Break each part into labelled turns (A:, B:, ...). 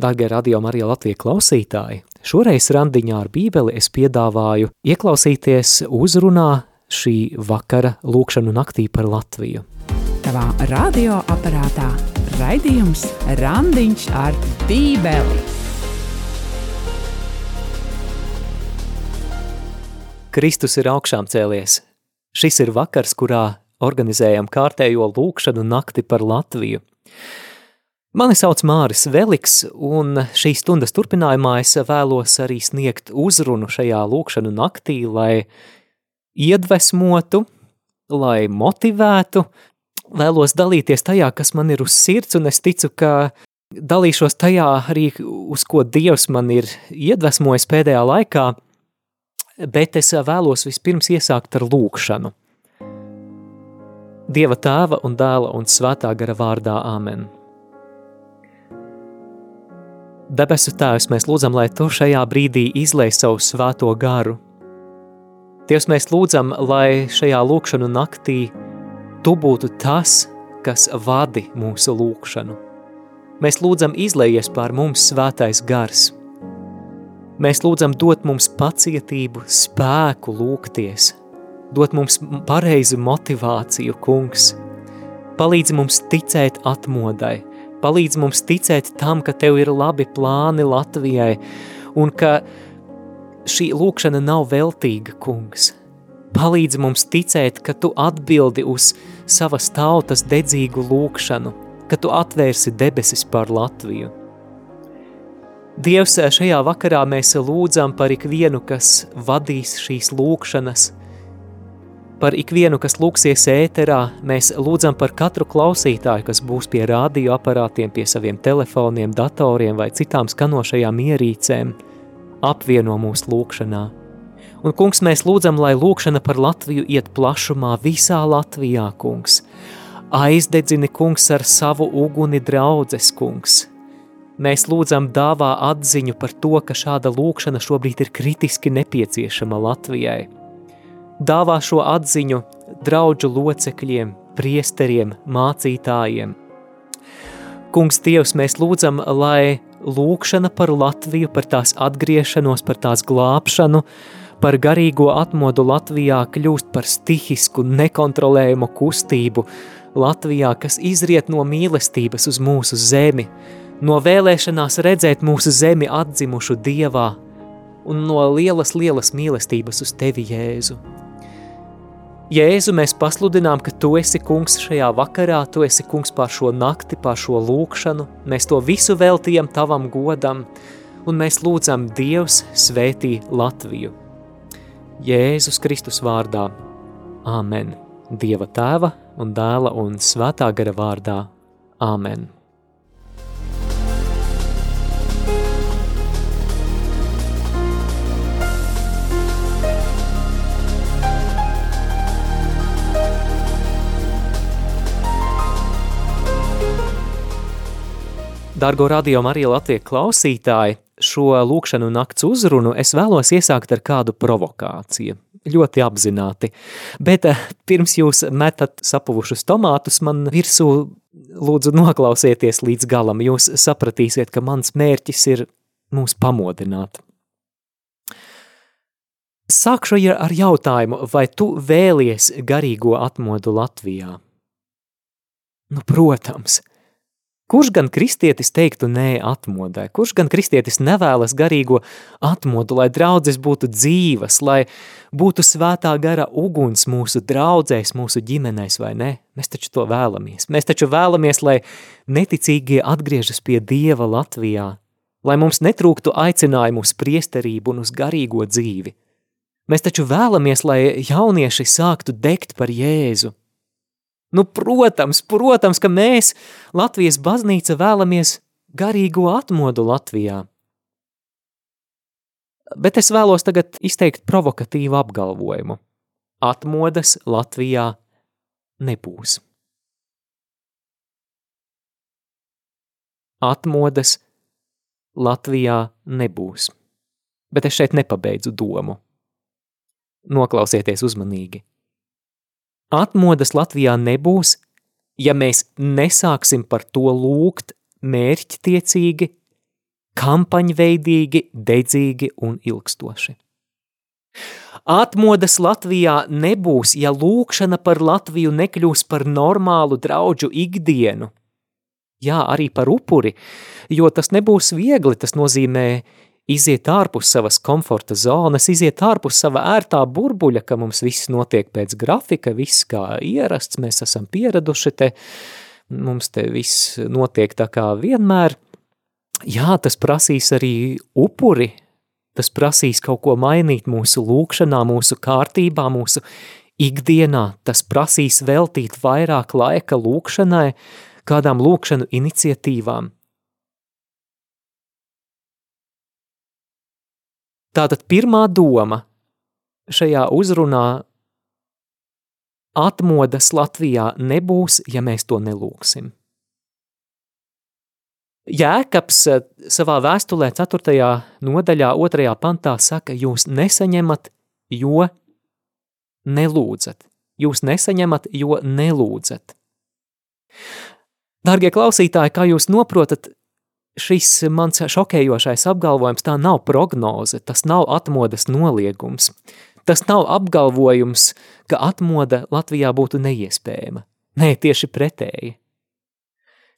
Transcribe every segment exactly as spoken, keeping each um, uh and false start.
A: Dārgie Radio Marija Latvija klausītāji, šoreiz randiņā ar Bībeli es piedāvāju ieklausīties uzrunā šī vakara lūkšanu naktī par Latviju.
B: Tavā radioaparātā raidījums Randiņš ar Bībeli.
A: Kristus ir augšām cēlies. Šis ir vakars, kurā organizējam kārtējo lūkšanu nakti par Latviju. Mani sauc Māris Veliks, un šīs stundas turpinājumā es vēlos arī sniegt uzrunu šajā lūkšanu naktī, lai iedvesmotu, lai motivētu, vēlos dalīties tajā, kas man ir uz sirds, un es ticu, ka dalīšos tajā arī, uz ko Dievs man ir iedvesmojis pēdējā laikā, bet es vēlos vispirms iesākt ar lūkšanu. Dieva Tēva un Dēla un Svētā gara vārdā. Āmen. Debesu Tēvs, mēs lūdzam, lai Tu šajā brīdī izlej savu svēto garu. Dievs, mēs lūdzam, lai šajā lūkšanu naktī Tu būtu tas, kas vadi mūsu lūkšanu. Mēs lūdzam izlejies pār mums svētais gars. Mēs lūdzam dot mums pacietību, spēku lūgties, dot mums pareizu motivāciju, kungs. Palīdzi mums ticēt atmodai, palīdz mums ticēt tam, ka Tev ir labi plāni Latvijai un ka šī lūkšana nav veltīga, kungs. Palīdz mums ticēt, ka Tu atbildi uz savas tautas dedzīgu lūkšanu, ka Tu atvērsi debesis par Latviju. Dievs, šajā vakarā mēs lūdzam par ikvienu, kas vadīs šīs lūkšanas, par ikvienu, kas lūksies ēterā, mēs lūdzam par katru klausītāju, kas būs pie radioaparātiem, pie saviem telefoniem, datoriem vai citām skanošajām ierīcēm, apvieno mūsu lūkšanā. Un, kungs, mēs lūdzam, lai lūkšana par Latviju iet plašumā visā Latvijā, kungs. Aizdedzini, kungs, ar savu uguni draudzes, kungs. Mēs lūdzam dāvā atziņu par to, ka šāda lūkšana šobrīd ir kritiski nepieciešama Latvijai. Dāvā šo atziņu draudžu locekļiem, priesteriem, mācītājiem. Kungs Dievs, mēs lūdzam, lai lūkšana par Latviju, par tās atgriešanos, par tās glābšanu, par garīgo atmodu Latvijā kļūst par stihisku, nekontrolējumu kustību Latvijā, kas izriet no mīlestības uz mūsu zemi, no vēlēšanās redzēt mūsu zemi atdzimušu Dievā un no lielas, lielas mīlestības uz Tevi, Jēzu. Jēzu, mēs pasludinām, ka Tu esi kungs šajā vakarā, Tu esi kungs pār šo nakti, pār šo lūkšanu, mēs to visu veltījam Tavam godam, un mēs lūdzam Dievs svētī Latviju. Jēzus Kristus vārdā. Āmen. Dieva Tēva un Dēla un Svētā gara vārdā. Āmen. Dargo Radio Marija Latvija klausītāji, šo lūkšanu nakts uzrunu es vēlos iesākt ar kādu provokāciju, ļoti apzināti, bet pirms jūs metat sapuvušus tomātus man virsū, lūdzu noklausieties līdz galam, jūs sapratīsiet, ka mans mērķis ir mūs pamodināt. Sākšu ar jautājumu, vai tu vēlies garīgo atmodu Latvijā? Nu, protams. Kurš gan kristietis teiktu nē atmodai? Kurš gan kristietis nevēlas garīgo atmodu, lai draudzes būtu dzīvas, lai būtu svētā gara uguns mūsu draudzēs, mūsu ģimenēs, vai ne? Mēs taču to vēlamies. Mēs taču vēlamies, lai neticīgie atgriežas pie Dieva Latvijā, lai mums netrūktu aicinājumu uz priesterību un uz garīgo dzīvi. Mēs taču vēlamies, lai jaunieši sāktu degt par Jēzu. Nu, protams, protams, ka mēs, Latvijas baznīca, vēlamies garīgo atmodu Latvijā. Bet es vēlos tagad izteikt provokatīvu apgalvojumu. Atmodas Latvijā nebūs. Atmodas Latvijā nebūs. Bet es šeit nepabeidzu domu. Noklausieties uzmanīgi. Atmodas Latvijā nebūs, ja mēs nesāksim par to lūgt mērķtiecīgi, kampaņveidīgi, dedzīgi un ilgstoši. Atmodas Latvijā nebūs, ja lūkšana par Latviju nekļūs par normālu draudžu ikdienu. Jā, arī par upuri, jo tas nebūs viegli, tas nozīmē iziet ārpus savas komforta zonas, iziet ārpus sava ērtā burbuļa, ka mums viss notiek pēc grafika, viss kā ierasts, mēs esam pieraduši te, mums te viss notiek tā kā vienmēr. Jā, tas prasīs arī upuri, tas prasīs kaut ko mainīt mūsu lūkšanā, mūsu kārtībā, mūsu ikdienā, tas prasīs veltīt vairāk laika lūkšanai, kādām lūkšanu iniciatīvām. Tātad pirmā doma šajā uzrunā atmodas Latvijā nebūs, ja mēs to nelūksim. Jēkabs savā vēstulē ceturtajā nodaļā otrajā pantā saka, jūs nesaņemat, jo nelūdzat. Jūs nesaņemat, jo nelūdzat. Dargie klausītāji, kā jūs noprotat, šis mans šokējošais apgalvojums tā nav prognoze, tas nav atmodas noliegums. Tas nav apgalvojums, ka atmoda Latvijā būtu neiespējama. Nē, tieši pretēji.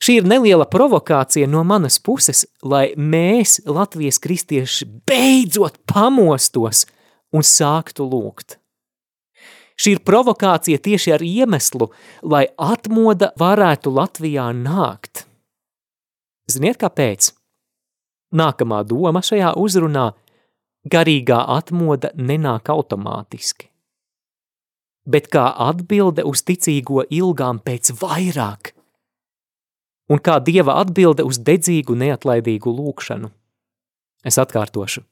A: Šī ir neliela provokācija no manas puses, lai mēs, Latvijas kristieši, beidzot pamostos un sāktu lūgt. Šī ir provokācija tieši ar iemeslu, lai atmoda varētu Latvijā nākt. Ziniet, kāpēc? Nākamā doma šajā uzrunā – garīgā atmoda nenāk automātiski, bet kā atbilde uz ticīgo ilgām pēc vairāk, un kā Dieva atbilde uz dedzīgu, neatlaidīgu lūkšanu. Es atkārtošu.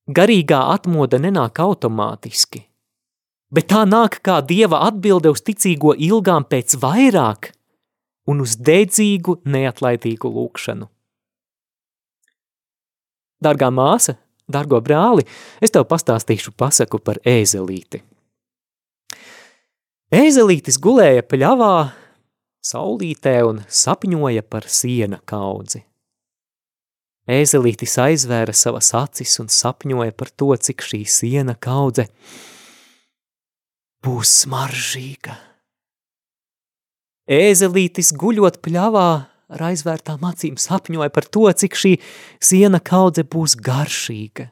A: Garīgā atmoda nenāk automātiski, bet tā nāk kā Dieva atbilde uz ticīgo ilgām pēc vairāk un uz dedzīgu, neatlaidīgu lūkšanu. Dargā māsa, dargo brāli, es tev pastāstīšu pasaku par ēzelīti. Ēzelītis gulēja pļavā, saulītē un sapņoja par siena kaudzi. Ēzelītis aizvēra savas acis un sapņoja par to, cik šī siena kaudze būs smaržīga. Ēzelītis guļot pļavā ar aizvērtām acīm sapņoja par to, cik šī siena kaudze būs garšīga.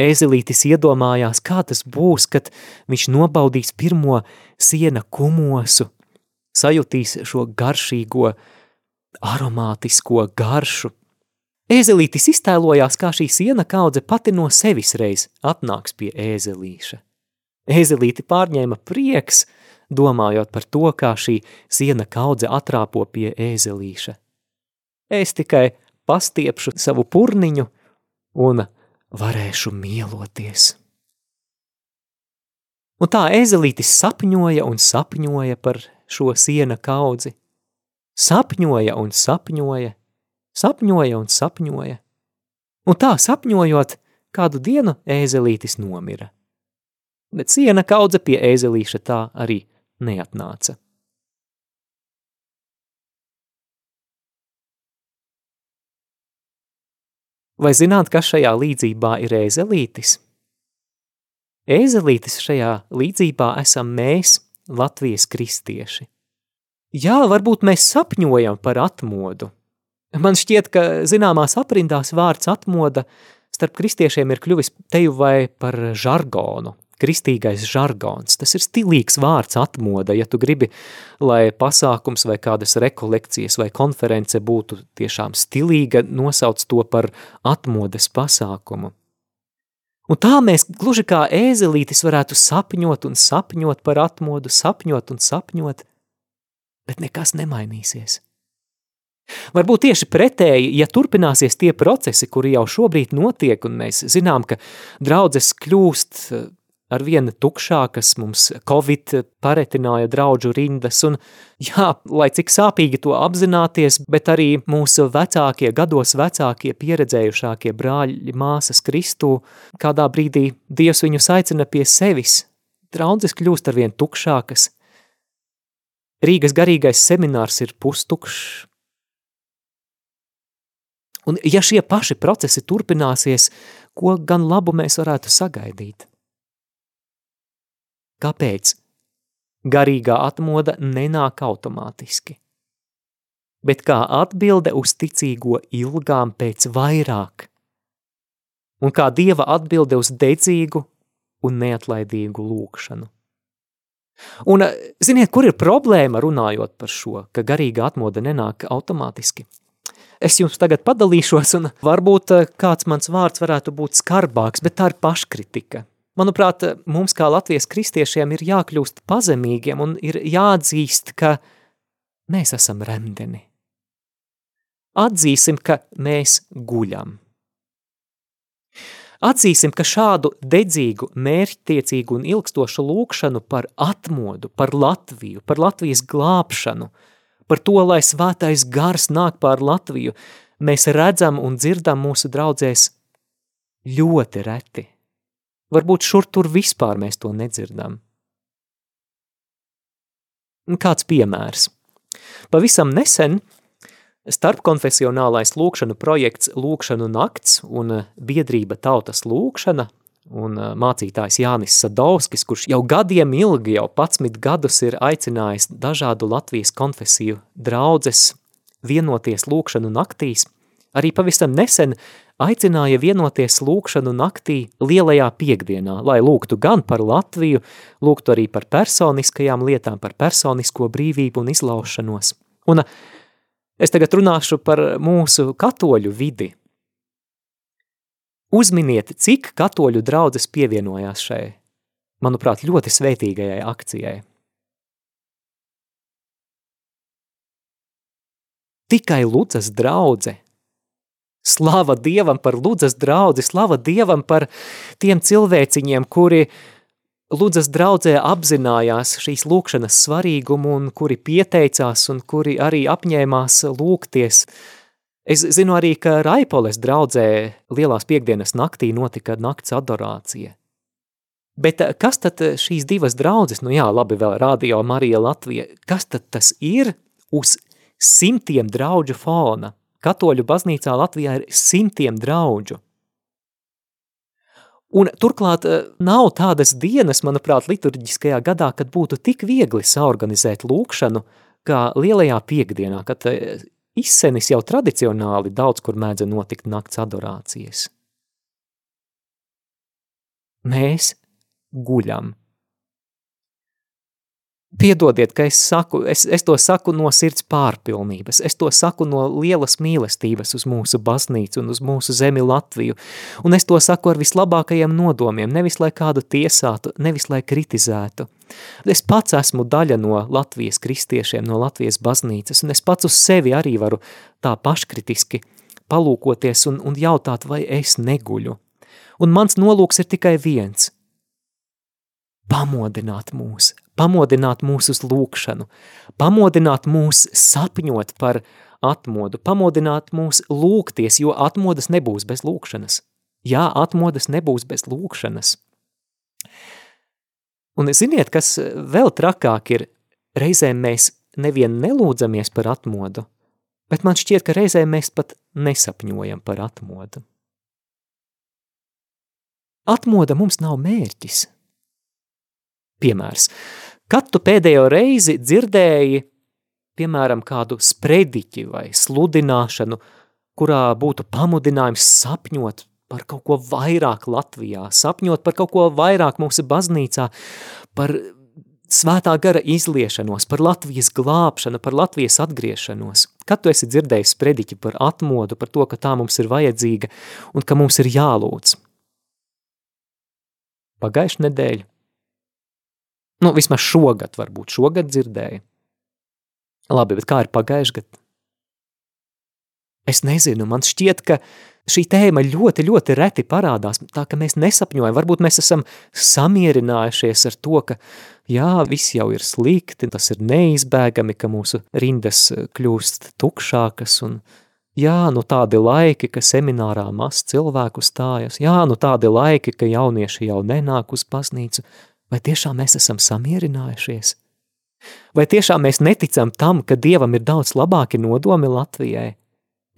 A: Ēzelītis iedomājās, kā tas būs, kad viņš nobaudīs pirmo siena kumosu, sajutīs šo garšīgo, aromātisko garšu. Ēzelītis iztēlojās, kā šī siena kaudze pati no sevis reiz atnāks pie ēzelīša. Ēzelīti pārņēma prieks, domājot par to, kā šī siena kaudze atrāpo pie ēzelīša. Es tikai pastiepšu savu purniņu un varēšu mieloties. Un tā ēzelītis sapņoja un sapņoja par šo siena kaudzi. Sapņoja un sapņoja, sapņoja un sapņoja. Un tā sapņojot, kādu dienu ēzelītis nomira. Bet siena kaudze pie ēzelīša tā arī neatnāca. Vai zināt, kas šajā līdzībā ir ēzelītis? Ēzelītis šajā līdzībā esam mēs, Latvijas kristieši. Jā, varbūt mēs sapņojam par atmodu. Man šķiet, ka zināmās aprindās vārds atmoda starp kristiešiem ir kļuvis teju vai par žargonu. Kristīgais žargons. Tas ir stilīgs vārds atmoda, ja tu gribi, lai pasākums vai kādas rekolekcijas vai konference būtu tiešām stilīga, nosauc to par atmodas pasākumu. Un tā mēs gluži kā ēzelītis varētu sapņot un sapņot par atmodu, sapņot un sapņot, bet nekas nemainīsies. Varbūt tieši pretēji, ja turpināsies tie procesi, kuri jau šobrīd notiek, un mēs zinām, ka draudzes kļūst ar vienu tukšākas, mums Covid paretināja draudžu rindas, un jā, lai cik sāpīgi to apzināties, bet arī mūsu vecākie, gados vecākie, pieredzējušākie brāļi, māsas Kristū, kādā brīdī Dievs viņus aicina pie sevis, draudzes kļūst ar vien tukšākas. Rīgas garīgais seminārs ir pustukšs. Un ja šie paši procesi turpināsies, ko gan labu mēs varētu sagaidīt? Kāpēc? Garīgā atmoda nenāk automātiski, bet kā atbilde uz ticīgo ilgām pēc vairāk, un kā Dieva atbilde uz dedzīgu un neatlaidīgu lūkšanu. Un ziniet, kur ir problēma runājot par šo, ka garīgā atmoda nenāk automātiski? Es jums tagad padalīšos, un varbūt kāds mans vārds varētu būt skarbāks, bet tā ir paškritika. Manuprāt, mums kā Latvijas kristiešiem ir jākļūst pazemīgiem un ir jāatzīst, ka mēs esam remdeni. Atzīsim, ka mēs guļam. Atzīsim, ka šādu dedzīgu, mērķtiecīgu un ilgstošu lūkšanu par atmodu, par Latviju, par Latvijas glābšanu, par to, lai svētais gars nāk pār Latviju, mēs redzam un dzirdam mūsu draudzēs ļoti reti. Varbūt šur tur vispār mēs to nedzirdam. Kāds piemērs. Pavisam nesen starpkonfesionālais lūkšanu projekts Lūkšanu nakts un biedrība Tautas lūkšana un mācītājs Jānis Sadovskis, kurš jau gadiem ilgi, jau padsmit gadus ir aicinājis dažādu Latvijas konfesiju draudzes vienoties lūkšanu naktīs, arī pavisam nesen aicināja vienoties lūkšanu naktī lielajā piekdienā, lai lūgtu gan par Latviju, lūgtu arī par personiskajām lietām, par personisko brīvību un izlaušanos. Un es tagad runāšu par mūsu katoļu vidi. Uzminiet, cik katoļu draudzes pievienojās šai, manuprāt, ļoti svētīgajai akcijai. Tikai Ludzas draudze. Slava Dievam par Ludzas draudzi, slava Dievam par tiem cilvēciņiem, kuri Ludzas draudzē apzinājās šīs lūkšanas svarīgumu un kuri pieteicās un kuri arī apņēmās lūgties. Es zinu arī, ka Raipoles draudzē lielās piekdienas naktī notika nakts adorācija. Bet kas tad šīs divas draudzes, nu jā, labi vēl Radio Marija Latvija, kas tad tas ir uz simtiem draudžu fona? Katoļu baznīcā Latvijā ir simtiem draudžu. Un turklāt nav tādas dienas, manuprāt, liturģiskajā gadā, kad būtu tik viegli saorganizēt lūkšanu, kā lielajā piekdienā, kad izsenis jau tradicionāli daudz, kur mēdza notikt nakts adorācijas. Mēs guļam. Piedodiet, ka es saku, es, es to saku no sirds pārpilnības, es to saku no lielas mīlestības uz mūsu baznīcu un uz mūsu zemi Latviju, un es to saku ar vislabākajiem nodomiem, nevis lai kādu tiesātu, nevis lai kritizētu. Es pats esmu daļa no Latvijas kristiešiem, no Latvijas baznīcas, un es pats uz sevi arī varu tā paškritiski palūkoties un, un jautāt, vai es neguļu. Un mans nolūks ir tikai viens – pamodināt mūs, pamodināt mūs uz lūkšanu, pamodināt mūs sapņot par atmodu, pamodināt mūs lūgties, jo atmodas nebūs bez lūkšanas. Jā, atmodas nebūs bez lūkšanas. Un ziniet, kas vēl trakāk ir, reizēm mēs nevien nelūdzamies par atmodu, bet man šķiet, ka reizēm mēs pat nesapņojam par atmodu. Atmoda mums nav mērķis. Piemērs. Kad tu pēdējo reizi dzirdēji, piemēram, kādu sprediķi vai sludināšanu, kurā būtu pamudinājums sapņot par kaut ko vairāk Latvijā, sapņot par kaut ko vairāk mūsu baznīcā, par svētā gara izliešanos, par Latvijas glābšanu, par Latvijas atgriešanos. Kad tu esi dzirdējis sprediķi par atmodu, par to, ka tā mums ir vajadzīga un ka mums ir jālūdz? Pagājušu nedēļu. Nu, vismaz šogad, varbūt šogad dzirdēju. Labi, bet kā ir pagājuši gadu? Es nezinu, man šķiet, ka šī tēma ļoti, ļoti reti parādās, tā ka mēs nesapņojam, varbūt mēs esam samierinājušies ar to, ka jā, viss jau ir slikti, tas ir neizbēgami, ka mūsu rindas kļūst tukšākas un jā, nu tādi laiki, ka seminārā maz cilvēku stājas, jā, nu tādi laiki, ka jaunieši jau nenāk uz baznīcu. Vai tiešām mēs esam samierinājušies? Vai tiešām mēs neticam tam, ka Dievam ir daudz labāki nodomi Latvijai?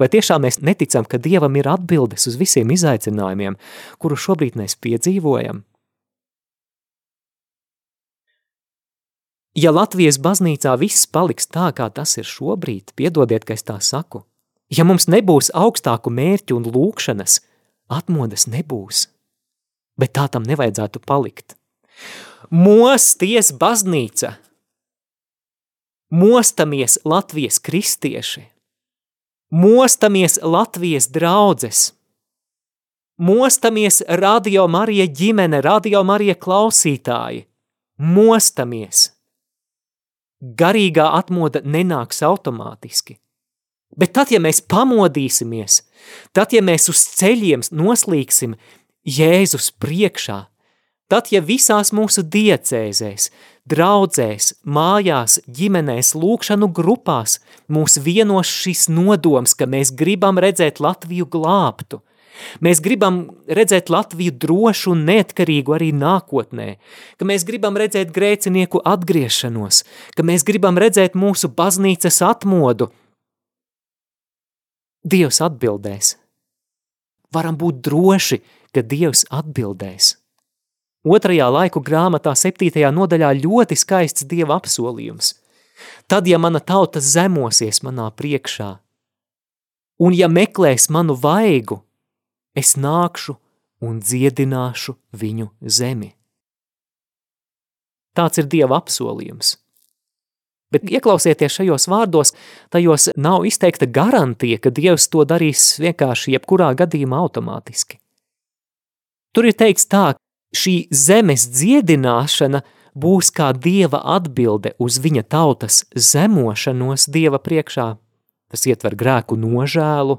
A: Vai tiešām mēs neticam, ka Dievam ir atbildes uz visiem izaicinājumiem, kuru šobrīd mēs piedzīvojam? Ja Latvijas baznīcā viss paliks tā, kā tas ir šobrīd, piedodiet, ka es tā saku, ja mums nebūs augstāku mērķu un lūkšanas, atmodas nebūs, bet tā tam nevajadzētu palikt. Mosties baznīca! Mostamies Latvijas kristieši! Mostamies Latvijas draudzes! Mostamies Radio Marija ģimene, Radio Marija klausītāji! Mostamies! Garīgā atmoda nenāks automātiski. Bet tad, ja mēs pamodīsimies, tad, ja mēs uz ceļiem noslīksim Jēzus priekšā, tad, ja visās mūsu diecēzēs, draudzēs, mājās, ģimenēs, lūkšanu grupās mūs vienos šis nodoms, ka mēs gribam redzēt Latviju glābtu, mēs gribam redzēt Latviju drošu un neatkarīgu arī nākotnē, ka mēs gribam redzēt grēcinieku atgriešanos, ka mēs gribam redzēt mūsu baznīcas atmodu. Dievs atbildēs. Varam būt droši, ka Dievs atbildēs. Otrajā laiku grāmatā septītajā nodaļā ļoti skaists Dieva apsolījums. Tad, ja mana tauta zemosies manā priekšā, un ja meklēs manu vaigu, es nākšu un dziedināšu viņu zemi. Tāds ir Dieva apsolījums. Bet ieklausieties šajos vārdos, tajos nav izteikta garantija, ka Dievs to darīs vienkārši jebkurā gadījumā automātiski. Tur ir teikts tā, šī zemes dziedināšana būs kā Dieva atbilde uz viņa tautas zemošanos Dieva priekšā. Tas ietver grēku nožēlu,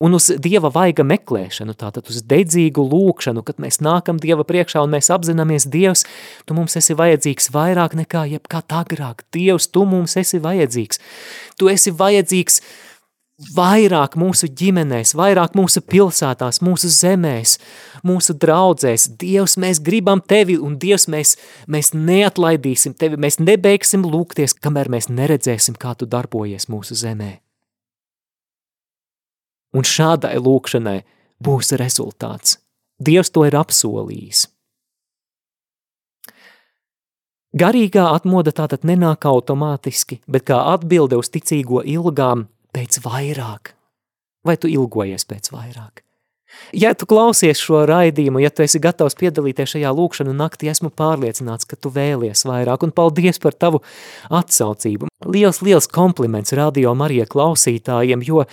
A: un uz Dieva vaiga meklēšanu, tātad uz dedzīgu lūkšanu, kad mēs nākam Dieva priekšā un mēs apzināmies, Dievs, tu mums esi vajadzīgs vairāk nekā jebkad agrāk. Dievs, tu mums esi vajadzīgs. Tu esi vajadzīgs vairāk mūsu ģimenēs, vairāk mūsu pilsētās, mūsu zemēs, mūsu draudzēs. Dievs, mēs gribam tevi, un Dievs, mēs, mēs neatlaidīsim tevi, mēs nebeigsim lūgties, kamēr mēs neredzēsim, kā tu darbojies mūsu zemē. Un šādai lūkšanai būs rezultāts. Dievs to ir apsolījis. Garīgā atmoda tātad nenāk automātiski, bet kā atbilde uz ticīgo ilgām pēc vairāk. Vai tu ilgojies pēc vairāk? Ja tu klausies šo raidījumu, ja tu esi gatavs piedalīties šajā lūkšanu naktī, esmu pārliecināts, ka tu vēlies vairāk, un paldies par tavu atsaucību. Liels, liels kompliments Radio Marija klausītājiem, jo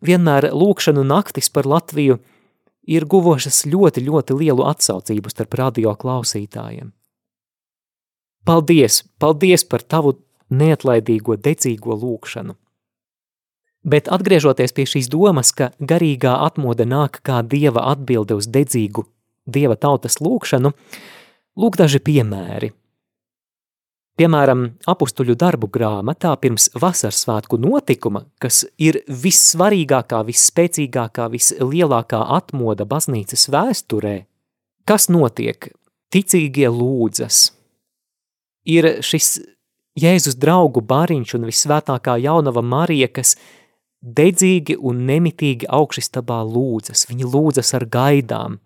A: vienmēr lūkšanu naktis par Latviju ir guvošas ļoti, ļoti lielu atsaucību starp radio klausītājiem. Paldies, paldies par tavu neatlaidīgo, dedzīgo lūkšanu. Bet atgriežoties pie šīs domas, ka garīgā atmoda nāk kā Dieva atbilde uz dedzīgu Dieva tautas lūkšanu, lūk daži piemēri. Piemēram, apustuļu darbu grāmatā pirms vasarsvētku notikuma, kas ir vissvarīgākā, visspēcīgākā, vislielākā atmoda baznīcas vēsturē, kas notiek? Ticīgie lūdzas. Ir šis Jēzus draugu bariņš un vissvētākā jaunava Marija, kas dedzīgi un nemitīgi augšistabā lūdzas. Viņi lūdzas ar gaidām.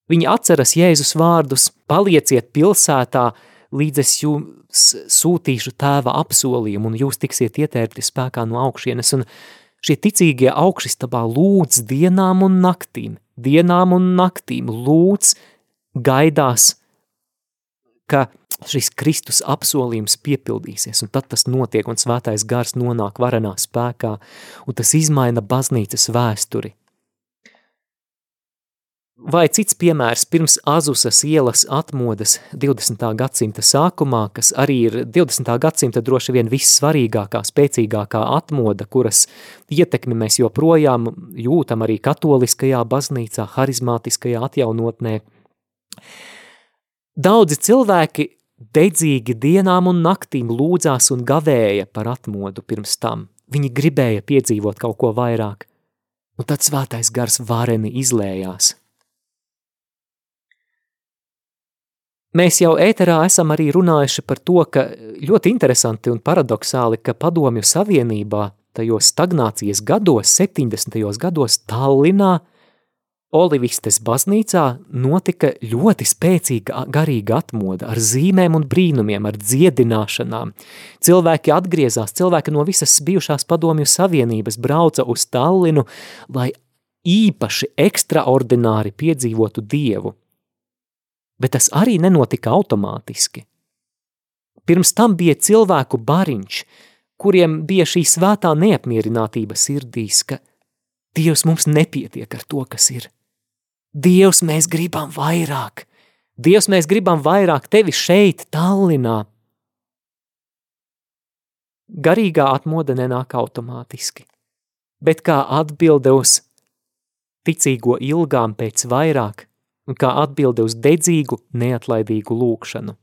A: Viņi atceras Jēzus vārdus, palieciet pilsētā, līdz es jums sūtīšu tēva apsolījumu, un jūs tiksiet ietērpti spēkā no augšienes. Un šie ticīgie augšistabā lūdz dienām un naktīm, dienām un naktīm lūdz, gaidās, ka šis Kristus apsolījums piepildīsies, un tad tas notiek, un svētais gars nonāk varenā spēkā, un tas izmaina baznīcas vēsturi. Vai cits piemērs pirms Azusas ielas atmodas divdesmitā gadsimta sākumā, kas arī ir divdesmitā gadsimta droši vien vissvarīgākā, spēcīgākā atmoda, kuras ietekmi mēs joprojām jūtam arī katoliskajā baznīcā, harizmātiskajā atjaunotnē. Daudzi cilvēki dedzīgi dienām un naktīm lūdzās un gavēja par atmodu pirms tam. Viņi gribēja piedzīvot kaut ko vairāk, un tad svētais gars vareni izlējās. Mēs jau ēterā esam arī runājuši par to, ka ļoti interesanti un paradoksāli, ka Padomju Savienībā tajos stagnācijas gados, septiņdesmitajos gados Tallinā, Olivistes baznīcā notika ļoti spēcīga garīga atmoda ar zīmēm un brīnumiem, ar dziedināšanām. Cilvēki atgriezās, cilvēki no visas bijušās padomju savienības brauca uz Tallinu, lai īpaši ekstraordināri piedzīvotu Dievu. Bet tas arī nenotika automātiski. Pirms tam bija cilvēku bariņš, kuriem bija šī svētā neapmierinātība sirdīs, ka Dievs mums nepietiek ar to, kas ir. Dievs, mēs gribam vairāk. Dievs, mēs gribam vairāk tevi šeit, Tallinā. Garīgā atmoda nenāk automātiski, bet kā atbilde uz ticīgo ilgām pēc vairāk un kā atbilde uz dedzīgu, neatlaidīgu lūkšanu.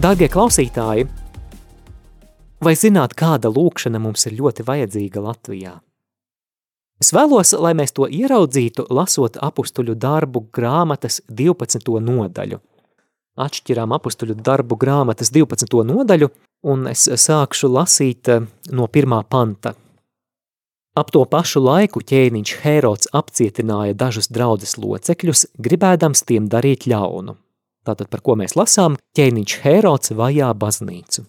A: Dārgie klausītāji, vai zināt, kāda lūkšana mums ir ļoti vajadzīga Latvijā? Es vēlos, lai mēs to ieraudzītu, lasot apustuļu darbu grāmatas divpadsmito nodaļu. Atšķirām apustuļu darbu grāmatas divpadsmito nodaļu, un es sākšu lasīt no pirmā panta. Ap to pašu laiku ķēniņš Hērods apcietināja dažus draudzes locekļus, gribēdams tiem darīt ļaunu. Tātad, par ko mēs lasām, ķēniņš Hērods vajā baznīcu.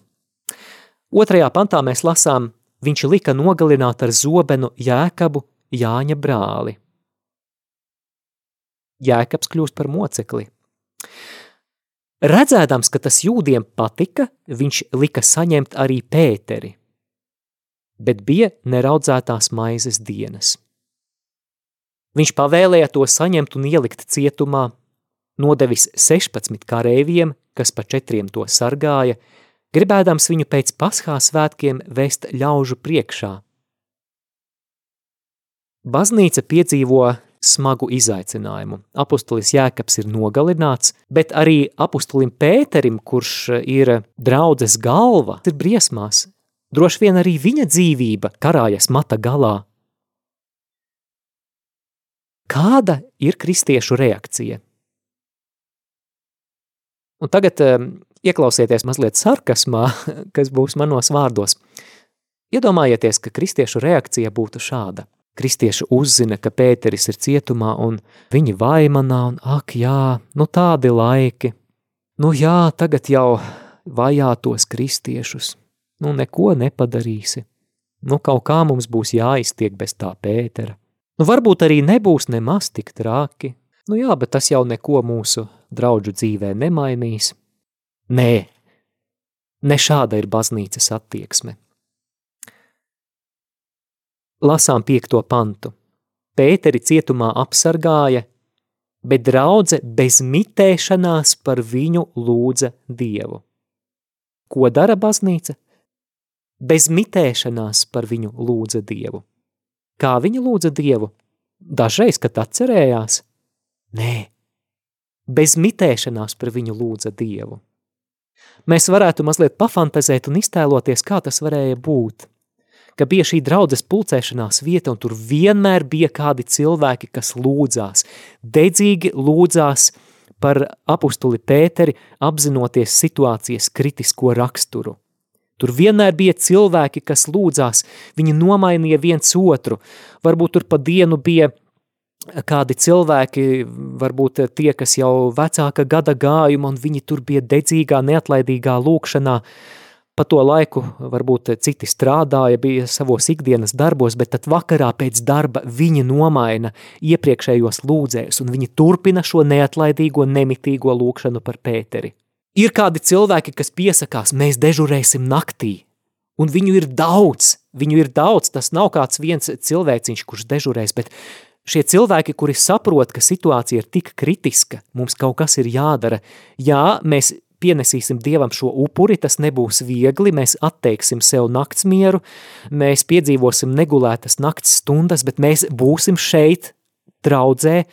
A: Otrajā pantā mēs lasām, viņš lika nogalināt ar zobenu Jēkabu, Jāņa brāli. Jēkabs kļūst par mocekli. Redzēdams, ka tas jūdiem patika, viņš lika saņemt arī Pēteri, bet bija neraudzētās maizes dienas. Viņš pavēlēja to saņemt un ielikt cietumā, nodevis sešpadsmit kareiviem, kas pa četriem to sargāja, gribēdams viņu pēc Paschā svētkiem vest ļaužu priekšā. Baznīca piedzīvo smagu izaicinājumu. Apustulis Jēkabs ir nogalināts, bet arī apustulim Pēterim, kurš ir draudzes galva, ir briesmās. Droši vien arī viņa dzīvība karājas mata galā. Kāda ir kristiešu reakcija? Un tagad um, ieklausieties mazliet sarkasmā, kas būs manos vārdos. Iedomājieties, ka kristiešu reakcija būtu šāda. Kristieši uzzina, ka Pēteris ir cietumā un viņi vaimanā un ak jā, nu tādi laiki. Nu jā, tagad jau vajā tos kristiešus. Nu neko nepadarīsi. Nu kaut kā mums būs jāiztiek bez tā Pētera. Nu varbūt arī nebūs nemaz tik traki. Nu jā, bet tas jau neko mūsu draudžu dzīvē nemainīs. Nē, ne šāda ir baznīcas attieksme. Lasām piekto pantu. Pēteri cietumā apsargāja, bet draudze bez mitēšanās par viņu lūdza Dievu. Ko dara baznīca? Bez mitēšanās par viņu lūdza Dievu. Kā viņa lūdza Dievu? Dažreiz, kad atcerējās? Nē, bez mitēšanās par viņu lūdza Dievu. Mēs varētu mazliet pafantazēt un iztēloties, kā tas varēja būt, ka bija šī draudzes pulcēšanās vieta un tur vienmēr bija kādi cilvēki, kas lūdzās, dedzīgi lūdzās par apustuli Pēteri, apzinoties situācijas kritisko raksturu. Tur vienmēr bija cilvēki, kas lūdzās, viņi nomainīja viens otru, varbūt tur pa dienu bija kādi cilvēki, varbūt tie, kas jau vecāka gada gājuma, un viņi tur bija dedzīgā, neatlaidīgā lūkšanā. Pa to laiku varbūt citi strādāja, bija savos ikdienas darbos, bet tad vakarā pēc darba viņi nomaina iepriekšējos lūdzējus, un viņi turpina šo neatlaidīgo, nemitīgo lūkšanu par Pēteri. Ir kādi cilvēki, kas piesakās, mēs dežurēsim naktī, un viņu ir daudz, viņu ir daudz, tas nav kāds viens cilvēciņš, kurš dežurēs, bet Šie cilvēki, kuri saprot, ka situācija ir tik kritiska, mums kaut kas ir jādara. Jā, mēs pienesīsim Dievam šo upuri, tas nebūs viegli, mēs atteiksim sev naktsmieru, mēs piedzīvosim negulētas nakts stundas, bet mēs būsim šeit, draudzē,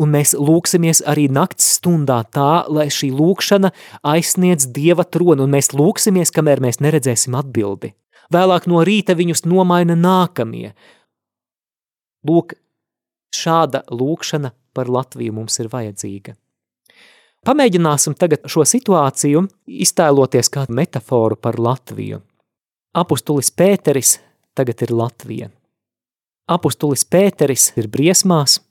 A: un mēs lūksimies arī nakts stundā tā, lai šī lūkšana aizsniedz Dieva tronu, un mēs lūksimies, kamēr mēs neredzēsim atbildi. Vēlāk no rīta viņus nomaina nākamie. Lūk, šāda lūkšana par Latviju mums ir vajadzīga. Pamēģināsim tagad šo situāciju iztēloties kā metaforu par Latviju. Apustulis Pēteris tagad ir Latvija. Apustulis Pēteris ir briesmās,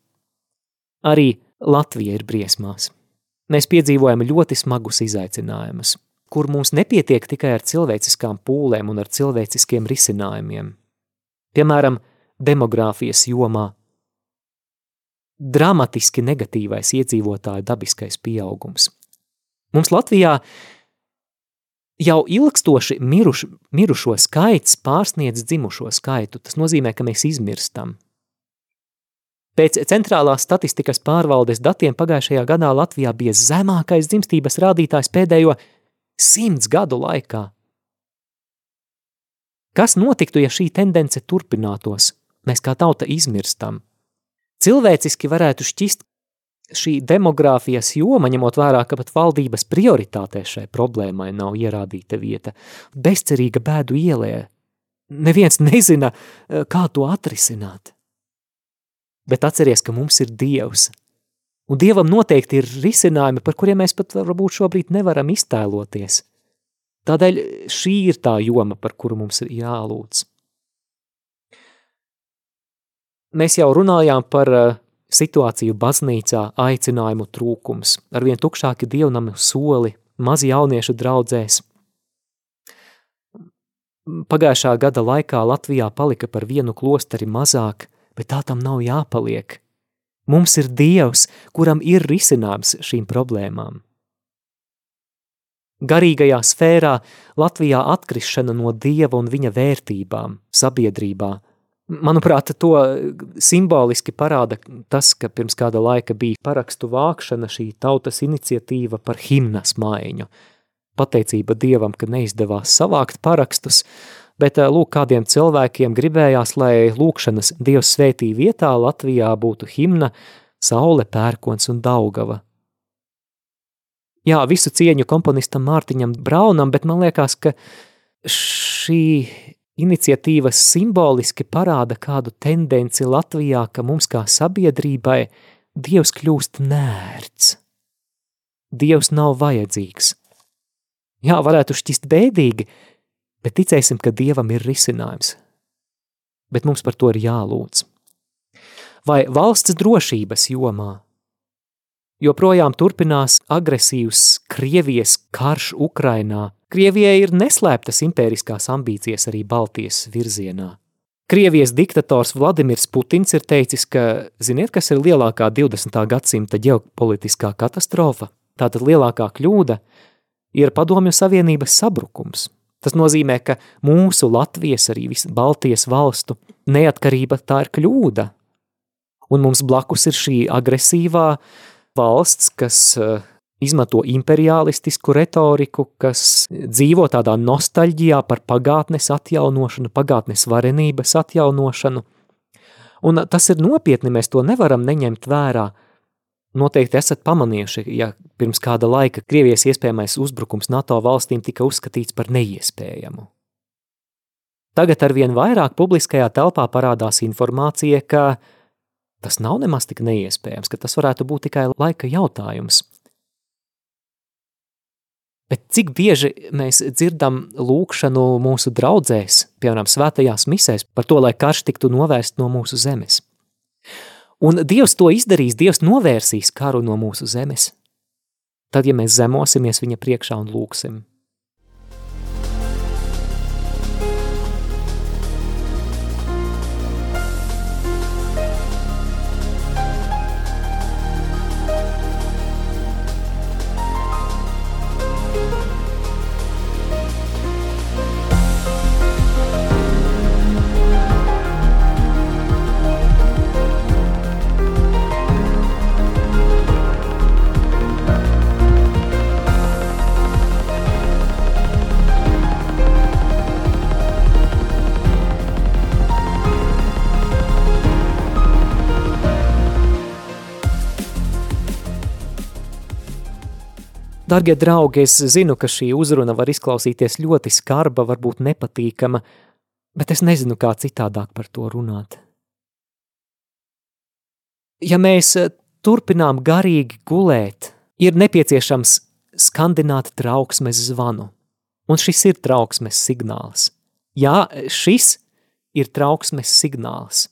A: arī Latvija ir briesmās. Mēs piedzīvojam ļoti smagus izaicinājumus, kur mums nepietiek tikai ar cilvēciskām pūlēm un ar cilvēciskiem risinājumiem. Piemēram, demogrāfijas jomā. Dramatiski negatīvais iedzīvotāju dabiskais pieaugums. Mums Latvijā jau ilgstoši miruš, mirušo skaits pārsniedz dzimušo skaitu. Tas nozīmē, ka mēs izmirstam. Pēc centrālās statistikas pārvaldes datiem pagājušajā gadā Latvijā bija zemākais dzimstības rādītājs pēdējo simts gadu laikā. Kas notiktu, ja šī tendence turpinātos? Mēs kā tauta izmirstam. Cilvēciski varētu šķist šī demogrāfijas joma, ņemot vērā, ka pat valdības prioritātē šai problēmai nav ierādīta vieta. Bezcerīga bēdu ielē. Neviens nezina, kā to atrisināt. Bet atceries, ka mums ir Dievs. Un Dievam noteikti ir risinājumi, par kuriem mēs pat varbūt šobrīd nevaram iztēloties. Tādēļ šī ir tā joma, par kuru mums ir jālūdz. Mēs jau runājām par situāciju baznīcā, aicinājumu trūkums, arvien tukšāki dievnami soli, mazi jauniešu draudzēs. Pagājušā gada laikā Latvijā palika par vienu klosteri mazāk, bet tā tam nav jāpaliek. Mums ir Dievs, kuram ir risinājums šīm problēmām. Garīgajā sfērā Latvijā atkrišana no Dieva un viņa vērtībām sabiedrībā. Manuprāt, to simboliski parāda tas, ka pirms kāda laika bija parakstu vākšana, šī tautas iniciatīva par himnas maiņu. Pateicība Dievam, ka neizdevās savākt parakstus, bet lūk, kādiem cilvēkiem gribējās, lai lūkšanas Dievs svētī vietā Latvijā būtu himna Saule, Pērkons un Daugava. Jā, visu cieņu komponistam Mārtiņam Braunam, bet man liekas, ka šī iniciatīvas simboliski parāda kādu tendenci Latvijā, ka mums kā sabiedrībai Dievs kļūst nērts. Dievs nav vajadzīgs. Jā, varētu šķist bēdīgi, bet ticēsim, ka Dievam ir risinājums. Bet mums par to ir jālūdz. Vai valsts drošības jomā? Joprojām turpinās agresīvs Krievijas karš Ukrainā. Krievijai ir neslēptas impēriskās ambīcijas arī Baltijas virzienā. Krievijas diktators Vladimirs Putins ir teicis, ka, ziniet, kas ir lielākā divdesmitā gadsimta ģeopolitiskā katastrofa? Tātad lielākā kļūda ir Padomju Savienības sabrukums. Tas nozīmē, ka mūsu Latvijas, arī visu Baltijas valstu neatkarība tā ir kļūda. Un mums blakus ir šī agresīvā valsts, kas izmanto imperialistisku retoriku, kas dzīvo tādā nostalģijā par pagātnes atjaunošanu, pagātnes varenības atjaunošanu. Un tas ir nopietni, mēs to nevaram neņemt vērā. Noteikti esat pamanījuši, ja pirms kāda laika Krievijas iespējamais uzbrukums NATO valstīm tika uzskatīts par neiespējamu. Tagad arvien vairāk publiskajā telpā parādās informācija, ka tas nav nemaz tik neiespējams, ka tas varētu būt tikai laika jautājums. Bet cik bieži mēs dzirdam lūkšanu mūsu draudzēs, piemēram, svētajās misēs, par to, lai karš tiktu novērst no mūsu zemes. Un Dievs to izdarīs, Dievs novērsīs karu no mūsu zemes. Tad, ja mēs zemosimies viņa priekšā un lūksim. Dargie draugi, es zinu, ka šī uzruna var izklausīties ļoti skarba, varbūt nepatīkama, bet es nezinu, kā citādāk par to runāt. Ja mēs turpinām garīgi gulēt, ir nepieciešams skandināt trauksmes zvanu. Un šis ir trauksmes signāls. Jā, šis ir trauksmes signāls.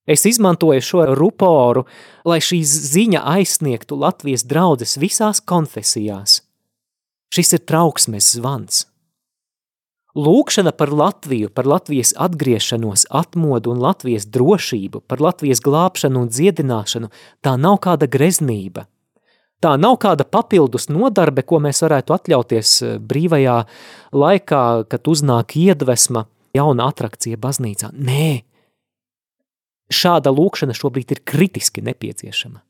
A: Es izmantoju šo ruporu, lai šī ziņa aizsniegtu Latvijas draudzes visās konfesijās. Šis ir trauksmes zvans. Lūkšana par Latviju, par Latvijas atgriešanos, atmodu un Latvijas drošību, par Latvijas glābšanu un dziedināšanu, tā nav kāda greznība. Tā nav kāda papildus nodarbe, ko mēs varētu atļauties brīvajā laikā, kad uznāk iedvesma, jauna atrakcija baznīcā. Nē! Šāda lūkšana šobrīd ir kritiski nepieciešama.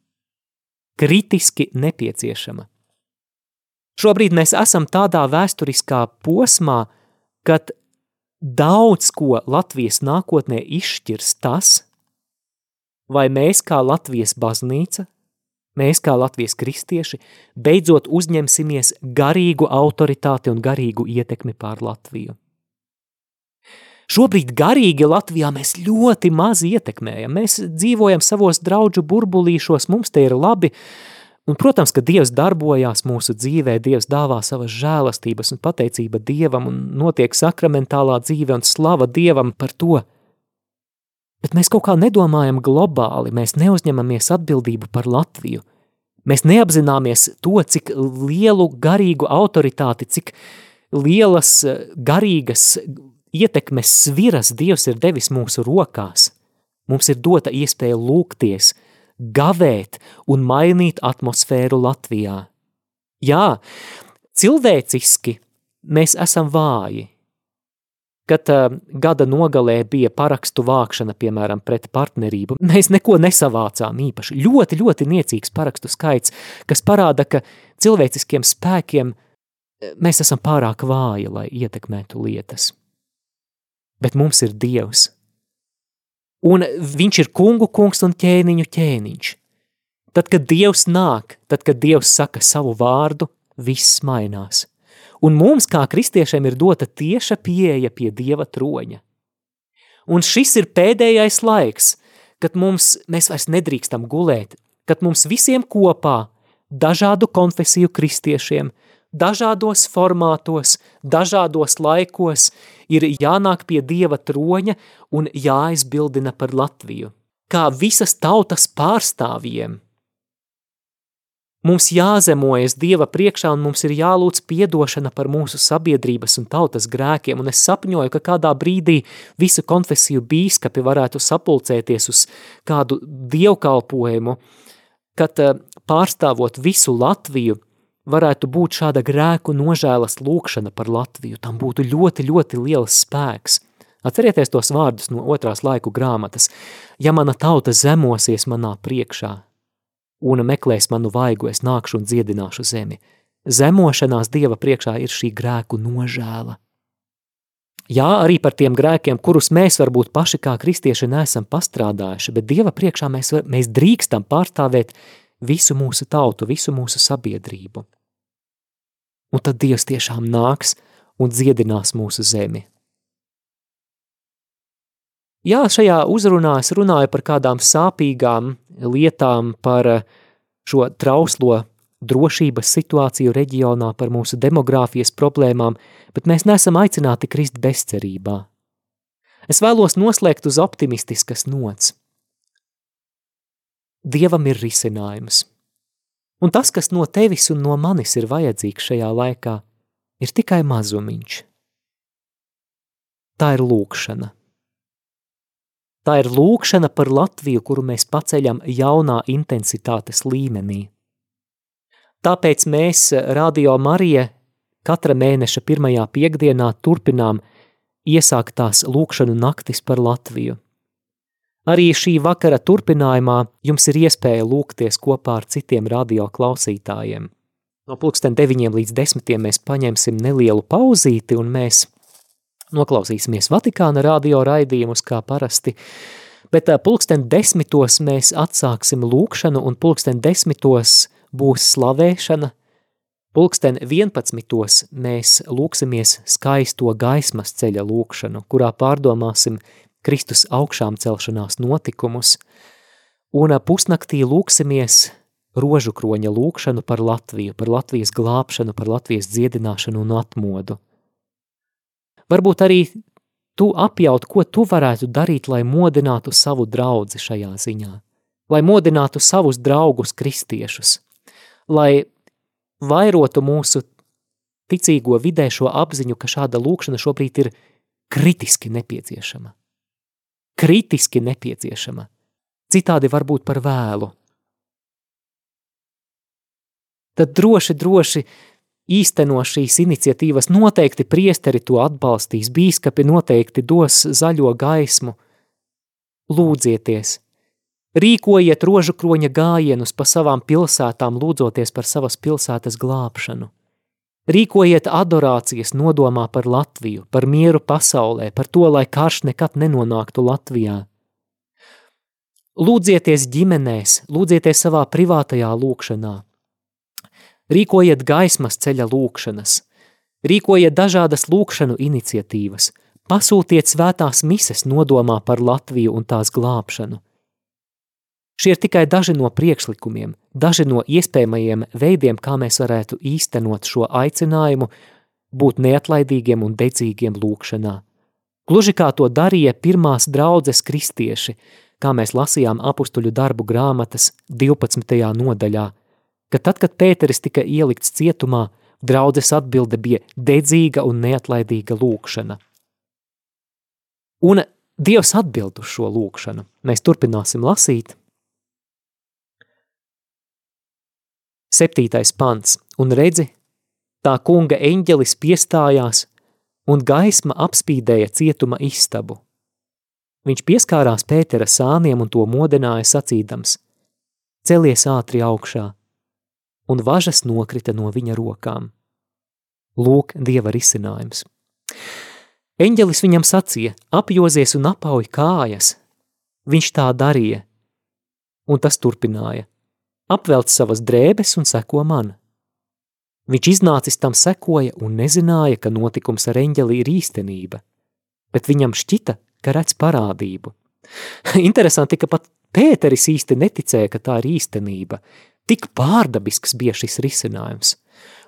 A: Kritiski nepieciešama. Šobrīd mēs esam tādā vēsturiskā posmā, kad daudz ko Latvijas nākotnē izšķirs tas, vai mēs kā Latvijas baznīca, mēs kā Latvijas kristieši, beidzot uzņemsimies garīgu autoritāti un garīgu ietekmi pār Latviju. Šobrīd garīgi Latvijā mēs ļoti maz ietekmējam. Mēs dzīvojam savos draudžu burbulīšos, mums te ir labi. Un, protams, ka Dievs darbojās mūsu dzīvē, Dievs dāvā savas žēlastības un pateicība Dievam un notiek sakramentālā dzīve un slava Dievam par to. Bet mēs kaut kā nedomājam globāli, mēs neuzņemamies atbildību par Latviju. Mēs neapzināmies to, cik lielu garīgu autoritāti, cik lielas garīgas ietekmes sviras Dievs ir devis mūsu rokās. Mums ir dota iespēja lūgties, gavēt un mainīt atmosfēru Latvijā. Jā, cilvēciski mēs esam vāji. Kad uh, gada nogalē bija parakstu vākšana, piemēram, pret partnerību, mēs neko nesavācām īpaši. Ļoti, ļoti niecīgs parakstu skaits, kas parāda, ka cilvēciskiem spēkiem mēs esam pārāk vāji, lai ietekmētu lietas. Bet mums ir Dievs. Un viņš ir kungu kungs un ķēniņu ķēniņš. Tad, kad Dievs nāk, tad, kad Dievs saka savu vārdu, viss mainās. Un mums, kā kristiešiem, ir dota tieša pieeja pie Dieva troņa. Un šis ir pēdējais laiks, kad mums, mēs vairs nedrīkstam gulēt, kad mums visiem kopā, dažādu konfesiju kristiešiem, dažādos formātos, dažādos laikos ir jānāk pie Dieva troņa un jāizbildina par Latviju. Kā visas tautas pārstāvjiem. Mums jāzemojas Dieva priekšā un mums ir jālūdz piedošana par mūsu sabiedrības un tautas grēkiem, un es sapņoju, ka kādā brīdī visu konfesiju bīskapi varētu sapulcēties uz kādu dievkalpojumu, kad pārstāvot visu Latviju, varētu būt šāda grēku nožēlas lūkšana par Latviju. Tam būtu ļoti, ļoti liels spēks. Atcerieties tos vārdus no otrās laiku grāmatas. Ja mana tauta zemosies manā priekšā un meklēs manu vaigu, es nākšu un dziedināšu zemi. Zemošanās Dieva priekšā ir šī grēku nožēla. Jā, arī par tiem grēkiem, kurus mēs varbūt paši kā kristieši neesam pastrādājuši, bet Dieva priekšā mēs, mēs drīkstam pārstāvēt visu mūsu tautu, visu mūsu sabiedrību. Un tad Dievs tiešām nāks un dziedinās mūsu zemi. Jā, šajā uzrunā es runāju par kādām sāpīgām lietām, par šo trauslo drošības situāciju reģionā, par mūsu demogrāfijas problēmām, bet mēs neesam aicināti krist bezcerībā. Es vēlos noslēgt uz optimistiskas nots. Dievam ir risinājums. Un tas, kas no tevis un no manis ir vajadzīgs šajā laikā, ir tikai mazumiņš. Tā ir lūkšana. Tā ir lūkšana par Latviju, kuru mēs paceļam jaunā intensitātes līmenī. Tāpēc mēs, Radio Marija, katra mēneša pirmajā piekdienā turpinām iesāktās lūkšanu naktis par Latviju. Arī šī vakara turpinājumā jums ir iespēja lūgties kopā ar citiem radio klausītājiem. No pulksten deviņiem līdz desmitiem mēs paņemsim nelielu pauzīti un mēs noklausīsimies Vatikāna radio raidījumus kā parasti, bet pulksten desmitos mēs atsāksim lūkšanu un pulksten desmitos būs slavēšana, Pulksten vienpadsmitos mēs lūksimies skaisto gaismas ceļa lūkšanu, kurā pārdomāsim Kristus augšām celšanās notikumus, un pusnaktī lūksimies rožu kroņa lūkšanu par Latviju, par Latvijas glābšanu, par Latvijas dziedināšanu un atmodu. Varbūt arī tu apjaut, ko tu varētu darīt, lai modinātu savu draudzi šajā ziņā, lai modinātu savus draugus kristiešus, lai vairotu mūsu ticīgo vidē šo apziņu, ka šāda lūkšana šobrīd ir kritiski nepieciešama. Kritiski nepieciešama. Citādi varbūt par vēlu. Tad droši, droši īsteno šīs iniciatīvas, noteikti priesteri to atbalstīs, bīskapi noteikti dos zaļo gaismu. Lūdzieties, rīkojiet rožu kroņa gājienus pa savām pilsētām, lūdzoties par savas pilsētas glābšanu. Rīkojiet adorācijas nodomā par Latviju, par mieru pasaulē, par to, lai karš nekad nenonāktu Latvijā. Lūdzieties ģimenēs, lūdzieties savā privātajā lūkšanā. Rīkojiet gaismas ceļa lūkšanas, rīkojiet dažādas lūkšanu iniciatīvas, pasūtiet svētās mises nodomā par Latviju un tās glābšanu. Šie ir tikai daži no priekšlikumiem, daži no iespējamajiem veidiem, kā mēs varētu īstenot šo aicinājumu, būt neatlaidīgiem un dedzīgiem lūkšanā. Gluži kā to darīja pirmās draudzes kristieši, kā mēs lasījām apustuļu darbu grāmatas divpadsmitajā nodaļā, ka tad, kad Pēteris tika ielikts cietumā, draudzes atbilde bija dedzīga un neatlaidīga lūkšana. Un Dievs atbild uz šo lūkšanu. Mēs turpināsim lasīt. Septītais pants. Un redzi, tā kunga eņģelis piestājās, un gaisma apspīdēja cietuma istabu. Viņš pieskārās Pētera sāniem un to modināja sacīdams: celies ātri augšā, un važas nokrita no viņa rokām. Lūk, Dieva risinājums. Eņģelis viņam sacīja: apjozies un apauj kājas. Viņš tā darīja, un tas turpināja: apvelc savas drēbes un seko man. Viņš iznācis tam sekoja un nezināja, ka notikums ar eņģeli ir īstenība, bet viņam šķita, ka redz parādību. Interesanti, ka pat Pēteris īsti neticēja, ka tā ir īstenība. Tik pārdabisks bija šis risinājums.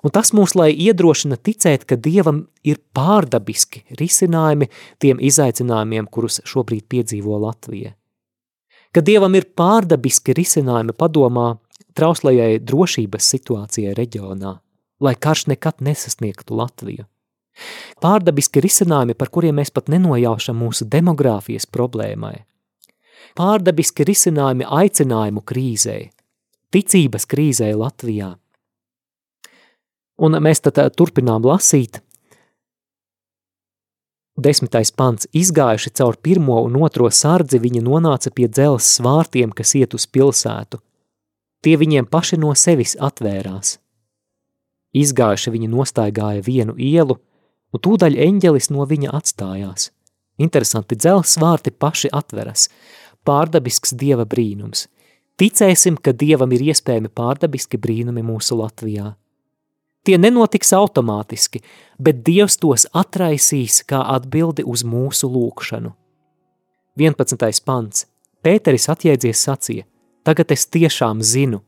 A: Un tas mūs lai iedrošina ticēt, ka Dievam ir pārdabiski risinājumi tiem izaicinājumiem, kurus šobrīd piedzīvo Latvija. Ka Dievam ir pārdabiski risinājumi padomā trauslajai drošības situācijai reģionā, lai karš nekad nesasniegtu Latviju. Pārdabiski risinājumi, par kuriem mēs pat nenojaušam mūsu demogrāfijas problēmai. Pārdabiski risinājumi aicinājumu krīzei, ticības krīzē Latvijā. Un mēs tad turpinām lasīt. Desmitais pants. Izgājuši caur pirmo un otro sardzi, viņi nonāca pie dzelzs svārtiem, kas iet uz pilsētu. Tie viņiem paši no sevis atvērās. Izgājuši viņi nostaigāja vienu ielu, un tūdaļ eņģelis no viņa atstājās. Interesanti, dzelzs svārti paši atveras. Pārdabisks Dieva brīnums. Ticēsim, ka Dievam ir iespējami pārdabiski brīnumi mūsu Latvijā. Tie nenotiks automātiski, bet Dievs tos atraisīs kā atbildi uz mūsu lūkšanu. vienpadsmitais pants. Pēteris atjēdzies sacīja: tagad es tiešām zinu,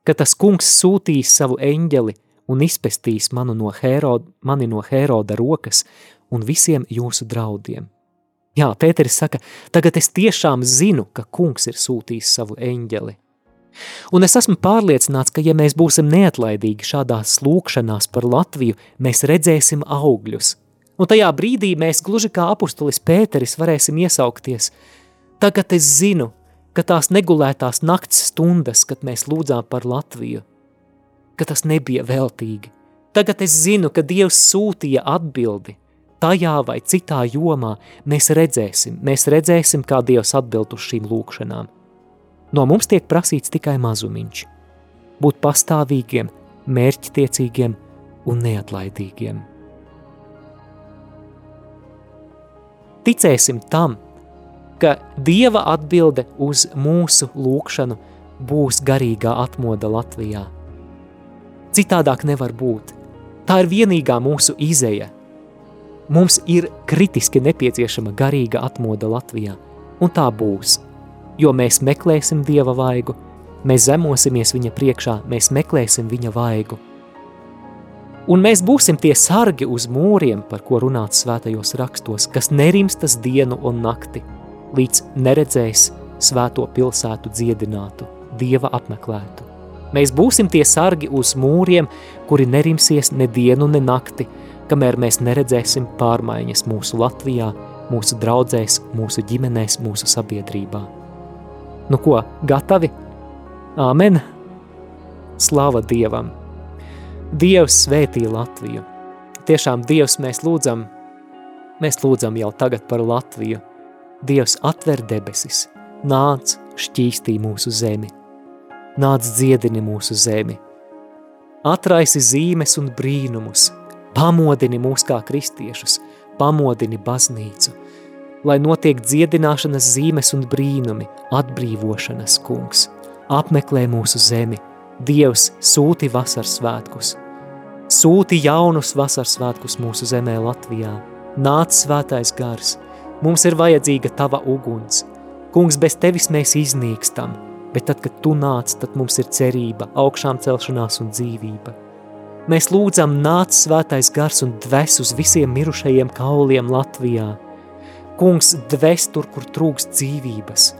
A: ka tas kungs sūtīs savu eņģeli un izpestīs manu no Hēroda, mani no Hēroda rokas un visiem jūsu draudiem. Jā, Pēteris saka, tagad es tiešām zinu, ka kungs ir sūtījis savu eņģeli. Un es esmu pārliecināts, ka ja mēs būsim neatlaidīgi šādās lūkšanās par Latviju, mēs redzēsim augļus. Un tajā brīdī mēs gluži kā apustulis Pēteris varēsim iesaukties: tagad es zinu, ka tās negulētās nakts stundas, kad mēs lūdzām par Latviju, ka tas nebija veltīgi. Tagad es zinu, ka Dievs sūtīja atbildi. Tajā vai citā jomā mēs redzēsim, mēs redzēsim, kā Dievs atbild uz šīm lūkšanām. No mums tiek prasīts tikai mazumiņš. Būt pastāvīgiem, mērķtiecīgiem un neatlaidīgiem. Ticēsim tam, ka Dieva atbilde uz mūsu lūkšanu būs garīgā atmoda Latvijā. Citādāk nevar būt. Tā ir vienīgā mūsu izeja. Mums ir kritiski nepieciešama garīga atmoda Latvijā, un tā būs, jo mēs meklēsim Dieva vaigu, mēs zemosimies viņa priekšā, mēs meklēsim viņa vaigu. Un mēs būsim tie sargi uz mūriem, par ko runāts svētajos rakstos, kas nerimstas dienu un nakti, līdz neredzēs svēto pilsētu dziedinātu, Dieva apmeklētu. Mēs būsim tie sargi uz mūriem, kuri nerimsies ne dienu, ne nakti, kamēr mēs neredzēsim pārmaiņas mūsu Latvijā, mūsu draudzēs, mūsu ģimenēs, mūsu sabiedrībā. Nu ko, gatavi? Āmen! Slava Dievam! Dievs svētī Latviju. Tiešām Dievs mēs lūdzam, mēs lūdzam jau tagad par Latviju. Dievs atver debesis, nāc šķīstī mūsu zemi, nāc dziedini mūsu zemi, atraisi zīmes un brīnumus, pamodini mūs kā kristiešus, pamodini baznīcu, lai notiek dziedināšanas zīmes un brīnumi, atbrīvošanas kungs, apmeklē mūsu zemi, Dievs sūti vasarsvētkus, sūti jaunus vasarsvētkus mūsu zemē Latvijā, nāc svētais gars, mums ir vajadzīga tava uguns, kungs, bez tevis mēs iznīkstam, bet tad, kad tu nāc, tad mums ir cerība, augšām celšanās un dzīvība. Mēs lūdzam, nāc svētais gars un dves uz visiem mirušajiem kauliem Latvijā. Kungs, dves tur, kur trūkst dzīvības.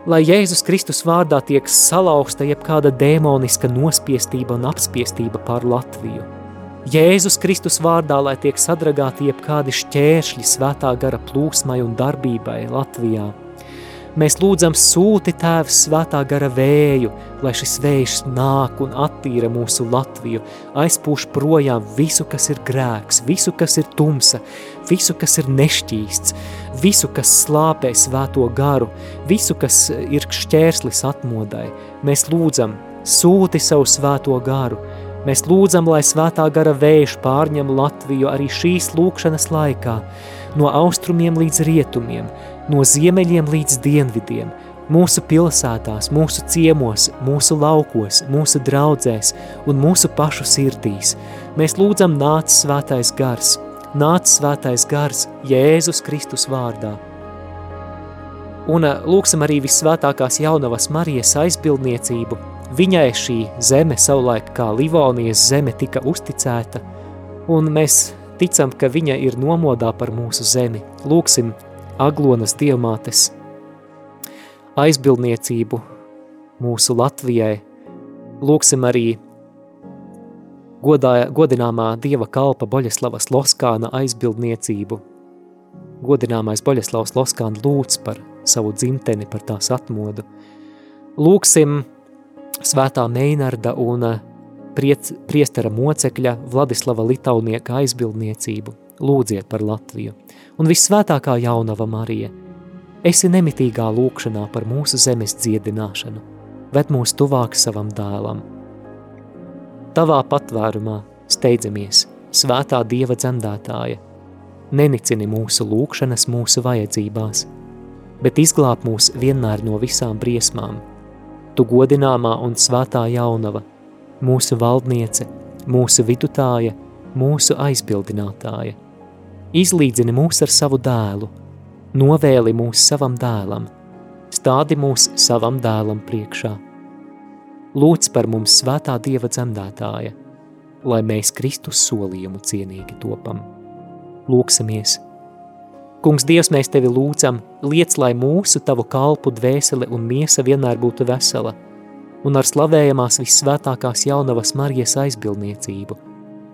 A: Lai Jēzus Kristus vārdā tiek salauzta jebkāda dēmoniska nospiestība un apspiestība pār Latviju. Jēzus Kristus vārdā, lai tiek sadragāti jebkādi šķēršļi svētā gara plūsmai un darbībai Latvijā. Mēs lūdzam, sūti Tēvs svētā gara vēju, lai šis vējš nāk un attīra mūsu Latviju, aizpūš projām visu, kas ir grēks, visu, kas ir tumsa, visu, kas ir nešķīsts, visu, kas slāpē svēto garu, visu, kas ir šķērslis atmodai. Mēs lūdzam, sūti savu svēto garu. Mēs lūdzam, lai svētā gara vējš pārņem Latviju arī šīs lūkšanas laikā, no austrumiem līdz rietumiem, no ziemeļiem līdz dienvidiem, mūsu pilsētās, mūsu ciemos, mūsu laukos, mūsu draudzēs un mūsu pašu sirdīs. Mēs lūdzam, nāc svētais gars, nāc svētais gars Jēzus Kristus vārdā. Un lūksim arī vissvētākās jaunavas Marijas aizbildniecību. Viņai šī zeme savulaik kā Livonijas zeme tika uzticēta, un mēs ticam, ka viņa ir nomodā par mūsu zemi. Lūksim Aglonas dievmātes aizbildniecību mūsu Latvijai. Lūksim arī godā, godināmā dieva kalpa Boļeslavas Loskāna aizbildniecību. Godināmais Boļeslavs Loskāna lūdz par savu dzimteni, par tās atmodu. Lūksim svētā Meinarda un priec, priestera mocekļa Vladislava Litaunieka aizbildniecību. Lūdziet par Latviju. Un vissvētākā jaunava Marija, esi nemitīgā lūkšanā par mūsu zemes dziedināšanu, ved mūs tuvāk savam dēlam. Tavā patvērumā steidzamies, svētā Dieva dzemdētāja, nenicini mūsu lūkšanas mūsu vajadzībās, bet izglāb mūs vienmēr no visām briesmām. Tu godināmā un svētā jaunava, mūsu valdniece, mūsu vidutāja, mūsu aizbildinātāja. Izlīdzini mūs ar savu dēlu, novēli mūs savam dēlam, stādi mūs savam dēlam priekšā. Lūdz par mums svētā Dieva dzemdētāja, lai mēs Kristus solījumu cienīgi topam. Lūksimies. Kungs Dievs, mēs tevi lūdzam, liec, lai mūsu tavu kalpu dvēsele un miesa vienmēr būtu vesela, un ar slavējamās vissvētākās jaunavas Marijas aizbildniecību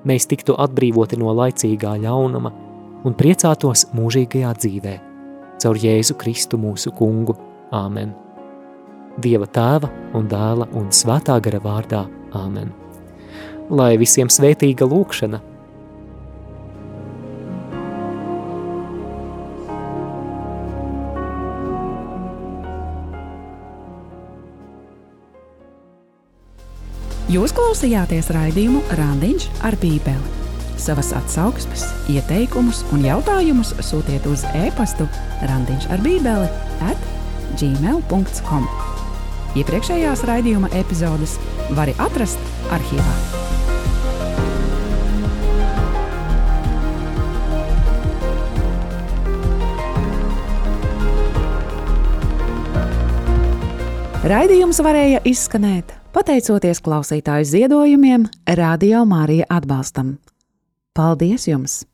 A: mēs tiktu atbrīvoti no laicīgā ļaunuma un priecātos mūžīgajā dzīvē, caur Jēzu Kristu mūsu kungu. Āmen. Dieva tēva un dēla un svētā gara vārdā. Āmen. Lai visiem svētīga lūkšana.
B: Jūs klausījāties raidījumu Randiņš ar Bībeli. Savas atsauksmes, ieteikumus un jautājumus sūtiet uz e-pastu randiņš ar bībeli at gmail dot com. Iepriekšējās raidījuma epizodes vari atrast arhīvā. Raidījums varēja izskanēt pateicoties klausītāju ziedojumiem Radio Marija atbalstam. Paldies jums!